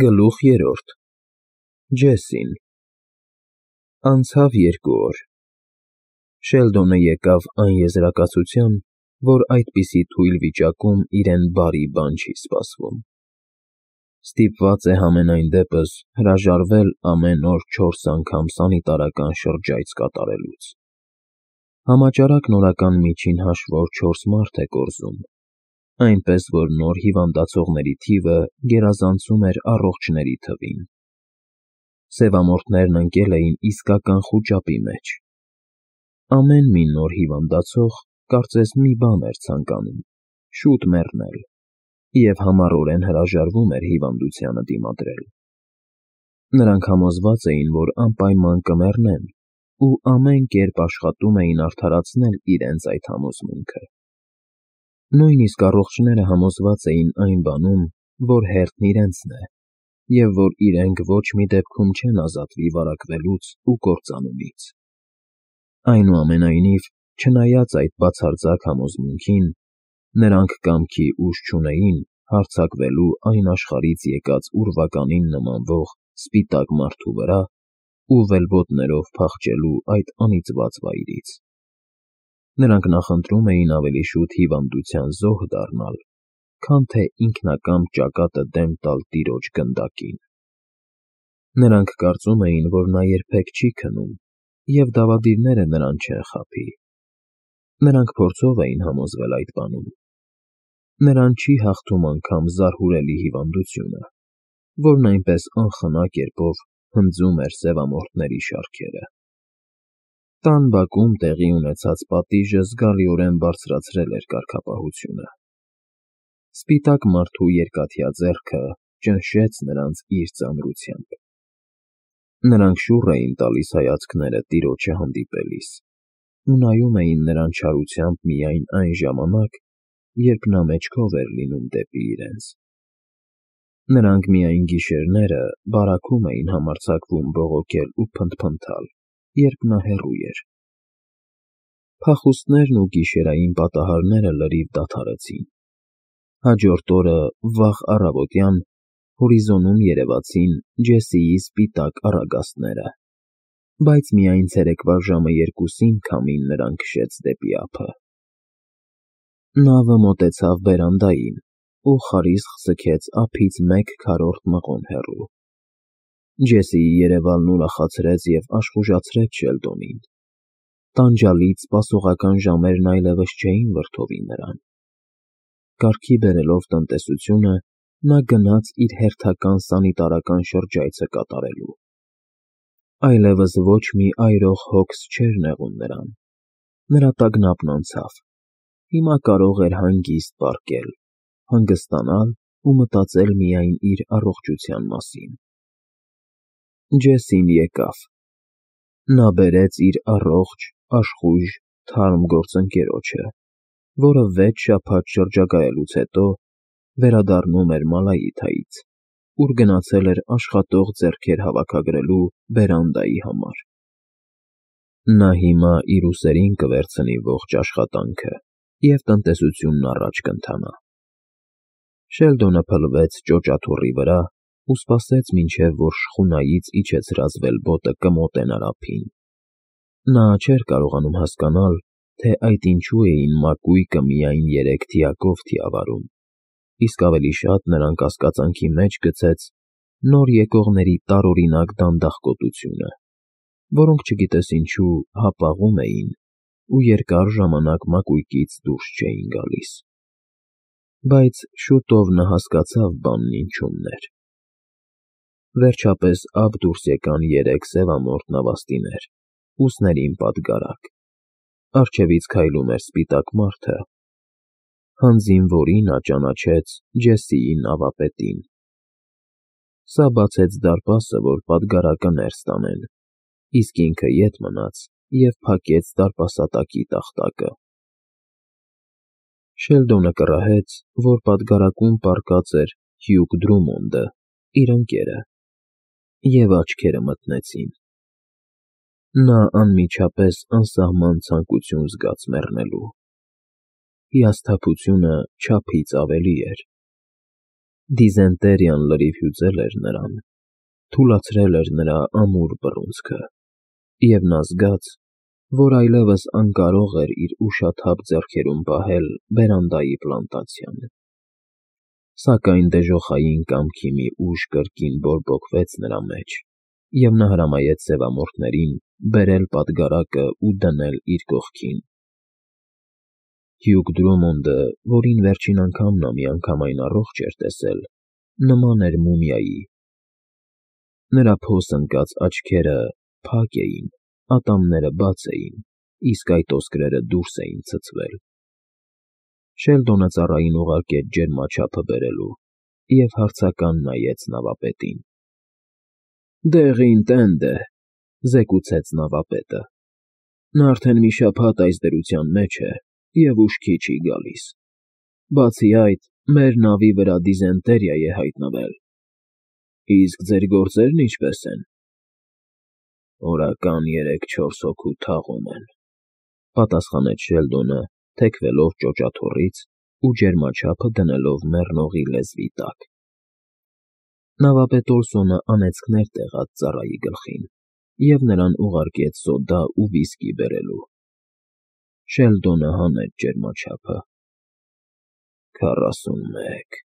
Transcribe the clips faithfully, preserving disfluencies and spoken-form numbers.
Գլուխ երրորդ Ջեսին Անցավ երկու օր։ Շելդոնը եկավ այն եզրակացության, որ այդպիսի թույլ վիճակում իրեն բարի բան չի սպասվում։ Ստիպված է համենայն դեպս հրաժարվել ամեն օր չորս անգամ սանիտարական շրջայց կատարելուց։ Համաճարակն օրական միջին հաշվով չորս մարդ է կորզում, այնպես որ նոր հիվանդացողների թիվը գերազանցում էր առողջների թվին։ Սևամորթներն ընկել էին իսկական խուճապի մեջ։ Ամեն մի նոր հիվանդացող կարծես մի բան էր ցանկանում՝ շուտ մեռնել, և համառորեն հրաժարվում էր հիվանդությանը դիմադրել։ Նրանք համոզված էին, որ անպայման կմեռնեն ու ամեն կերպ աշխատում էին արդարացնել իրենց այդ համոզմունքը։ Նույնիսկ առողջները համոզված էին այն բանում, որ հերթն իրենցն է, և որ իրենք ոչ մի դեպքում չեն ազատվի վարակվելուց ու կործանումից։ Այնուամենայնիվ, չնայած այդ բացարձակ համոզմունքին, նրանք կամքի ուժ չունեին հարձակվելու այն աշխարհից եկած ուրվականին նմանվող սպիտակ մարդու վրա ու վելբոտներով փախչելու այդ անիծված վայրից։ Նրանք նախընտրում էին ավելի շուտ հիվանդության զոհ դառնալ, քան թե ինքնակամ ճակատը դեմ տալ տիրոջ գնդակին։ Նրանք կարծում էին, որ նա երբեք չի քնում, և դավադիրները նրան չեն խաբի։ Նրանք փորձով էին համոզվել այդ բանում։ Նրան չի հաղթում անգամ զարհուրելի հիվանդությունը, որն այնպես անխնա կերպով հնձում էր սևամորթների շարքերը։ Տան բակում տեղի ունեցած պատիժը զգալիորեն բարձրացրել էր կարգապահությունը։ Սպիտակ մարդու երկաթյա ձեռքը ճնշեց նրանց իր ծանրությամբ։ Նրանք շուռ էին տալիս հայացքները տիրոջը հանդիպելիս ու նայում էին նրան չարությամբ միայն այն ժամանակ, երբ նա մեջքով էր լինում դեպի իրենց։ Նրանք միայն գիշերները բարաքում էին համարձակվում բողոքել ու փնթփնթալ, երբ նա հեռու էր։ Փախուստներն ու գիշերային պատահարները լրիվ դադարեցին։ Հաջորդ օրը վաղ առավոտյան հորիզոնում երևացին Ջեսիի սպիտակ առագաստները, բայց միայն ցերեկվա ժամը երկուսին քամին նրան քշեց դեպի ափը։ Նավը մոտեցավ բերանդային ու խարիսխ ձգեց ափից մեկ քառորդ մղոն հեռու։ Ջեսիի երևալն ուրախացրեց և աշխուժացրեց Շելդոնին։ Տանջալից սպասողական ժամերն այլևս չէին վրդովի նրան։ Կարգի բերելով տնտեսությունը, նա գնաց իր հերթական սանիտարական շրջայցը կատարելու։ Այլևս ոչ մի այրող հոգս չէր նեղում նրան։ Նրա տագնապն անցավ։ Հիմա կարող էր հանգիստ պառկել, հանգստանալ ու մտածել միայն իր առողջության մասին։ Ջեսին եկավ։ Նա բերեց իր առողջ, աշխույժ, թարմ գործընկերոջը, որը վեց շաբաթ շրջագայելուց հետո վերադառնում էր Մալայիթայից, ուր գնացել էր աշխատող ձեռքեր հավաքագրելու բերանդայի համար։ Նա հիմա իր ուսերին կվերցնի ողջ աշխատանքը, և տնտեսությունն առաջ կընթանա։ Շելդոնը փլվեց ճոճաթոռի վրա ու սպասեց, մինչև որ շխունայից իջեցրած վելբոտը կմոտենար ափին։ Նա չէր կարողանում հասկանալ, թե այդ ինչու էին մակույկը միայն երեք թիակով թիավարում, իսկ ավելի շատ նրան կասկածանքի մեջ գցեց նոր եկողների տարօրինակ դանդաղկոտությունը, որոնք չգիտես ինչու հապաղում էին ու երկար ժամանակ մակույկից դուրս չէին գալիս։ Բայց շուտով նա հասկացավ բանն ինչումն էր։ Վերջապես ափ դուրս եկան երեք սևամորթ նավաստիներ, ուսերին պատգարակ։ Առջևից քայլում էր սպիտակ մարդը, հանձին որի նա ճանաչեց Ջեսիի նավապետին։ Սա բացեց դարպասը, որ պատգարակը ներս տանեն, իսկ ինքը ետ մնաց և փակեց դարպասատակի տախտակը։ Շելդոնը կռահեց, որ պատգարակում պառկած էր Հյուգ Դրումոնդը, իր ընկերը, և աչքերը մթնեցին։ Նա անմիջապես անսահման ցանկություն զգաց մեռնելու։ Հիասթափությունը չափից ավելի էր։ Դիզենտերիան լրիվ հյուծել էր նրան, թուլացրել էր նրա ամուր բռունցքը, և նա զգաց, որ այլևս անկարող էր իր ուշաթափ ձեռքերում պահել բերանդայի պլանտացիան։ Սակայն դժոխային կամքի մի ուժ կրկին բորբոքվեց նրա մեջ, և նա հրամայեց սևամորթներին բերել պատգարակը ու դնել իր կողքին։ Հյուգ Դրումոնդը, որին վերջին անգամ նա միանգամայն առողջ էր տեսել, նման էր մումիայի. նրա փոս ընկած աչքերը փակ էին, ատամները բաց էին, իսկ այդ ոսկրերը դուրս էին ցցվել։ Շելդոնը ծառային ուղարկեց ջերմաչափը բերելու և հարցական նայեց նավապետին։ ֊ Դեղին տենդ է,֊ զեկուցեց նավապետը,֊ նա արդեն մի շաբաթ այս դրության մեջ է և ուշքի չի գալիս։ Բացի այդ, մեր նավի վրա դիզենտերիա է հայտնվել։ ֊ Իսկ ձեր գործերն ինչպե՞ս են։ ֊ Օրական երեք֊չորս հոգու թաղում են,֊ պատասխանեց Շելդոնը, թեքվելով ճոճաթոռից ու ջերմաչափը դնելով մեռնողի լեզվի տակ։ Նավապետ Օլսոնը անեծքներ տեղաց ծառայի գլխին և նրան ուղարկեց սոդա ու վիսկի բերելու։ Շելդոնը հանեց ջերմաչափը։ ֊ Քառասունմեկ,֊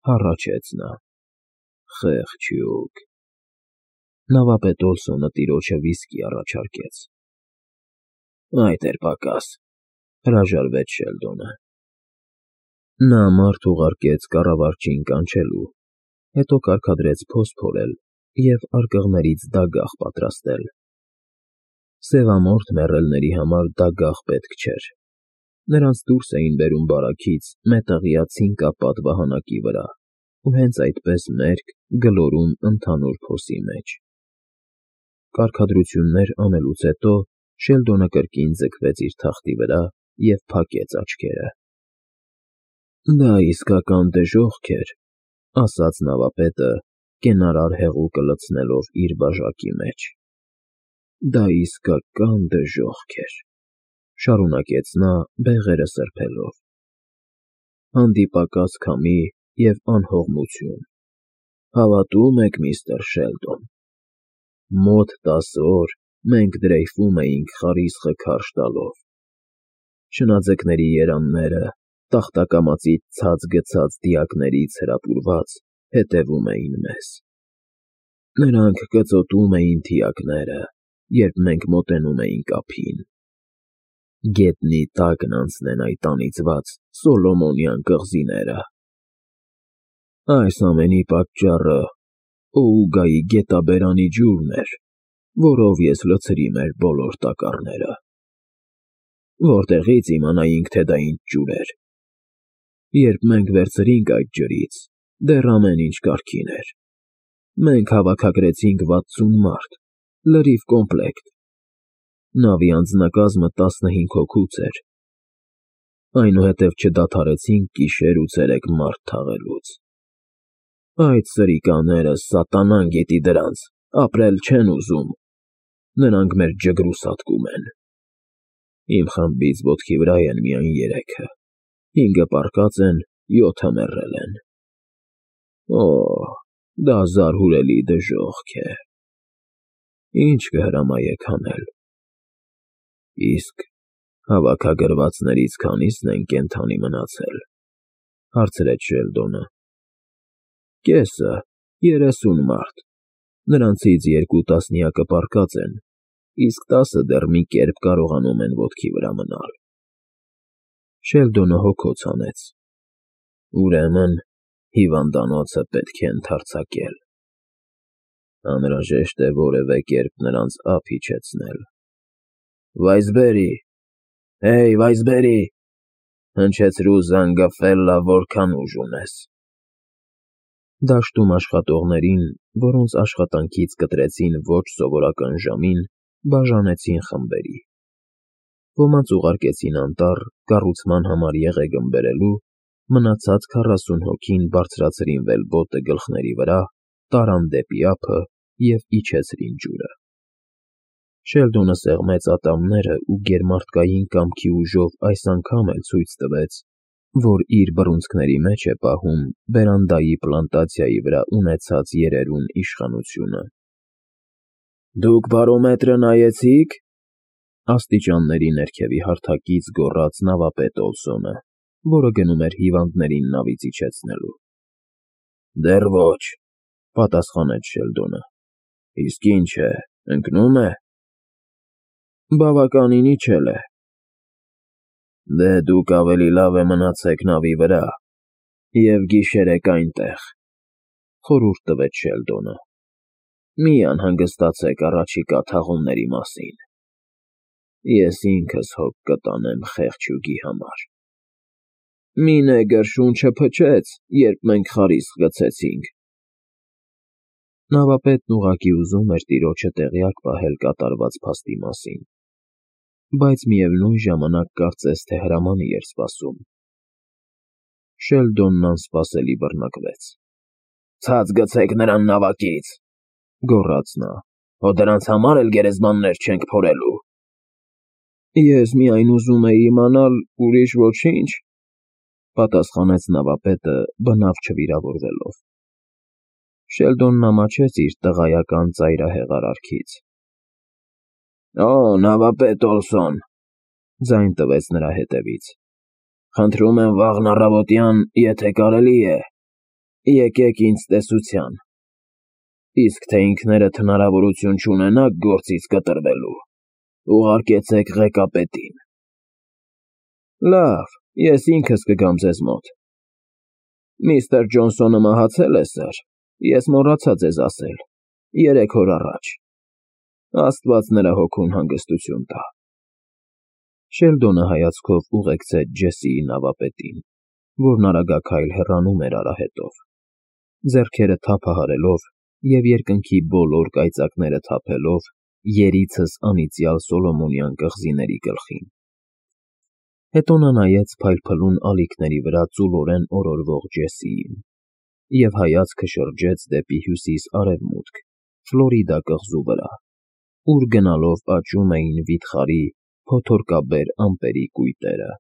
հառաչեց նա,֊ խեղճ հյուկ… Նավապետ Օլսոնը տիրոջը վիսկի առաջարկեց։ ֊ Այդ էր պակաս,֊ հրաժարվեց Շելդոնը։ Նա մարդ ուղարկեց կառավարչին կանչելու, հետո կարգադրեց փոս փորել և արկղներից դագաղ պատրաստել։ Սևամորթ մեռելների համար դագաղ պետք չէր։ Նրանց դուրս էին բերում բարաքից մետաղյա ցինկապատ վահանակի վրա ու հենց այդպես մերկ գլորում ընդհանուր փոսի մեջ։ Կարգադրություններ անելուց հետո Շելդոնը կրկին ձգվեց իր թախտի վրա և փակեց աչքերը։ ֊ Դա իսկական դժոխք էր,֊ ասաց նավապետը, կենարար հեղուկը լցնելով իր բաժակի մեջ։ ֊ Դա իսկական դժոխք էր,֊ շարունակեց նա բեղերը սրբելով։ Հանդիպակաց քամի և անհողմություն։ Հավատո՞ւմ եք, միստր Շելդոն։ Մոտ տասը օր մենք դրեյֆում էինք խարիսխը քարշ տալով։ Շնաձկների երանները, տախտակամածից ցած գցած դիակներից հրապուրված, հետևում էին մեզ։ Նրանք կծոտում էին թիակները, երբ մենք մոտենում էինք ափին։ Գետնի տակն անցնեն այդ անիծված Սոլոմոնյան կղզիները։ Այս ամենի պատճառը Օուգայի գետաբերանի ջուրն էր, որով ես լցրի մեր բոլոր տակառները։ Որտեղի՞ց իմանայինք, թե դա ինչ ջուր էր։ Երբ մենք վերցրինք այդ ջրից, դեռ ամեն ինչ կարգին էր։ Մենք հավաքագրեցինք վաթսուն մարդ, լրիվ կոմպլեկտ։ Նավի անձնակազմը տասնհինգ հոգուց էր։ Այնուհետև չդադարեցինք գիշեր ու ցերեկ մարդ թաղելուց։ Այդ սրիկաները, սատանան գիտի դրանց, ապրել չեն ուզում։ Նրանք մեր ջգրուսատկում են։ Իմ խմբից ոտքի վրա են միայն երեքը, հինգը պառկած են, յոթը մեռել են։ Օ՜, դա զարհուրելի դժոխք է։ Ի՞նչ կհրամայեք անել։ ֊ Իսկ հավաքագրվածներից քանի՞սն են կենդանի մնացել,֊ հարցրեց Շելդոնը։ ֊ Կեսը, երեսուն մարդ, նրանցից երկու տասնյակը պառկած են, իսկ տասը դեռ մի կերպ կարողանում են ոտքի վրա մնալ։ Շելդոնը հոգոց հանեց։ ֊ Ուրեմն հիվանդանոցը պետք է ընդարձակել։ Անհրաժեշտ է որևէ կերպ նրանց ափ իջեցնել։ ֊ Վայզբերի, հեյ, Վայզբերի,֊ հնչեցրու Զանգաֆելլա, որքան ուժ ունես։ Դաշտում աշխատողներին, որոնց աշխատանքից կտրեցին ոչ սովորական ժամին, բաժանեցին խմբերի։ Ոմանց ուղարկեցին անտառ կառուցման համար եղեգն բերելու, մնացած քառասուն հոգին բարձրացրին վելբոտը գլխների վրա, տարան դեպի ափը և իջեցրին ջուրը։ Շելդոնը սեղմեց ատամներն ու գերմարդկային կամքի ուժով այս անգամ էլ ցույց տվեց, որ իր բռունցքների մեջ է պահում բերանդայի պլանտացիայի վրա ունեցած երերուն իշխանությունը։ «Դուք բարոմետրը նայեցի՞ք,» աստիճանների ներքևի հարթակից գոռաց նավապետ Օլսոնը, որը գնում էր հիվանդներին նավից իջեցնելու։ «Դեռ ոչ,֊ պատասխանեց Շելդոնը։ Իսկ ինչ է, ընկնո՞ւմ է»։ «Բավականին իջել է»։ Դե դուք ավելի լավ է մնացեք նավի վրա և գիշերեք այնտեղ,֊ խորհուրդ տվեց Շելդոնը։ «Մի անհանգստացեք առաջիկա թաղումների մասին։ Ես ինքս հոգ կտանեմ խեղճուկի համար»։ «Մի նեգր շունչը փչեց, երբ մենք խարիսկ գցեցինք»։ Նավապետն ուղղակի ուզում էր տիրոջը տեղյակ պահել կատարված փաստի մասին, բայց միևնույն ժամանակ կարծես թե հրամանի էր սպասում։ Շելդոնն անսպասելի բռնկվեց։ «Ցած գցեք նրան նավակից,֊ գոռաց նա,֊ հո դրանց համար էլ գերեզմաններ չենք փորելու»։ «Ես միայն ուզում էի իմանալ, ուրիշ ոչինչ,֊ պատասխանեց նավապետը բնավ չվիրավորվելով։ Շելդոնն ամաչեց իր տղայական ծայրահեղ արարքից։ «Օ, նավապետ Օլսոն,֊ ձայն տվեց նրա հետևից,֊ խնդրում եմ վաղն առավոտյան, եթե կարելի է, եկեք ինձ տեսության, իսկ թե ինքներդ հնարավորություն չունենաք գործից կտրվելու, ուղարկեցեք ղեկապետին»։ «Լավ, ես ինքս կգամ ձեզ մոտ։ Միստր Ջոնսոնը մահացել է, սըր, ես մոռացա ձեզ ասել, երեք օր առաջ։ Աստված նրա հոգուն հանգստություն տա»։ Շելդոնը հայացքով ուղեկցեց Ջեսիի նավապետին, որն արագաքայլ հեռանում էր արահետով, ձեռքերը թափահարելով և երկնքի բոլոր կայծակները թափելով երիցս անիծյալ Սոլոմոնյան կղզիների գլխին։ Հետո նա նայեց փայլփլուն ալիքների վրա ծուլորեն օրորվող Ջեսիին և հայացքը շրջեց դեպի հյուսիս֊արևմուտք, Ֆլորիդա կղզու վրա, ուր գնալով աճում էին վիթխարի, փոթորկաբեր ամպերի կույտերը։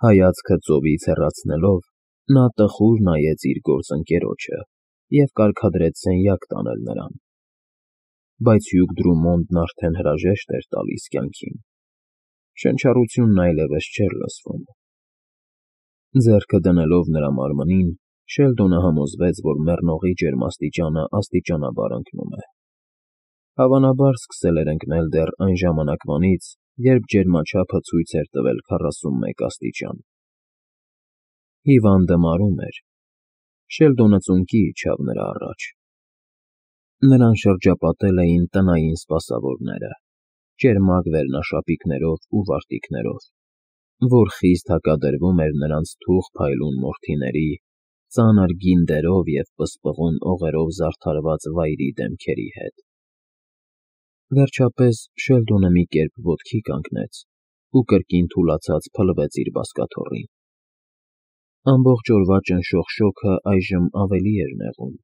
Հայացքը ծովից հեռացնելով՝ նա տխուր նայեց իր գործընկերոջը և կարգադրեց սենյակ տանել նրան։ Բայց Հյուգ Դրումոնդն արդեն հրաժեշտ էր տալիս կյանքին։ Շնչառությունն այլևս չէր լսվում։ Ձեռքը դնելով նրա մարմնին՝ Շելդոնը համոզվեց, որ մեռնողի ջերմաստիճանը աստիճանաբար ընկնում է։ Հավանաբար սկսել էր ընկնել դեռ այն ժամանակվանից, երբ ջերմաչափը ցույց էր տվել քառասունմեկ աստիճան։ Հիվանդը մարում էր։ Շելդոնը ծունկի իջավ նրա առաջ։ Նրան շրջապատել էին տնային սպասավորները՝ ճերմակ վերնաշապիկներով ու վարտիքներով, որ խիստ հակադրվում էր նրանց թուխ փայլուն մորթիների, ծանր գինդերով և պսպղուն օղերով զարդարված վայրի դեմքերի հետ։ Վերջապես Շելդոնը մի կերպ ոտքի կանգնեց ու կրկին թուլացած փլվեց իր բազկաթոռին։ Ամբողջ օրվա ճնշող շոգը այժմ ավելի էր նեղում։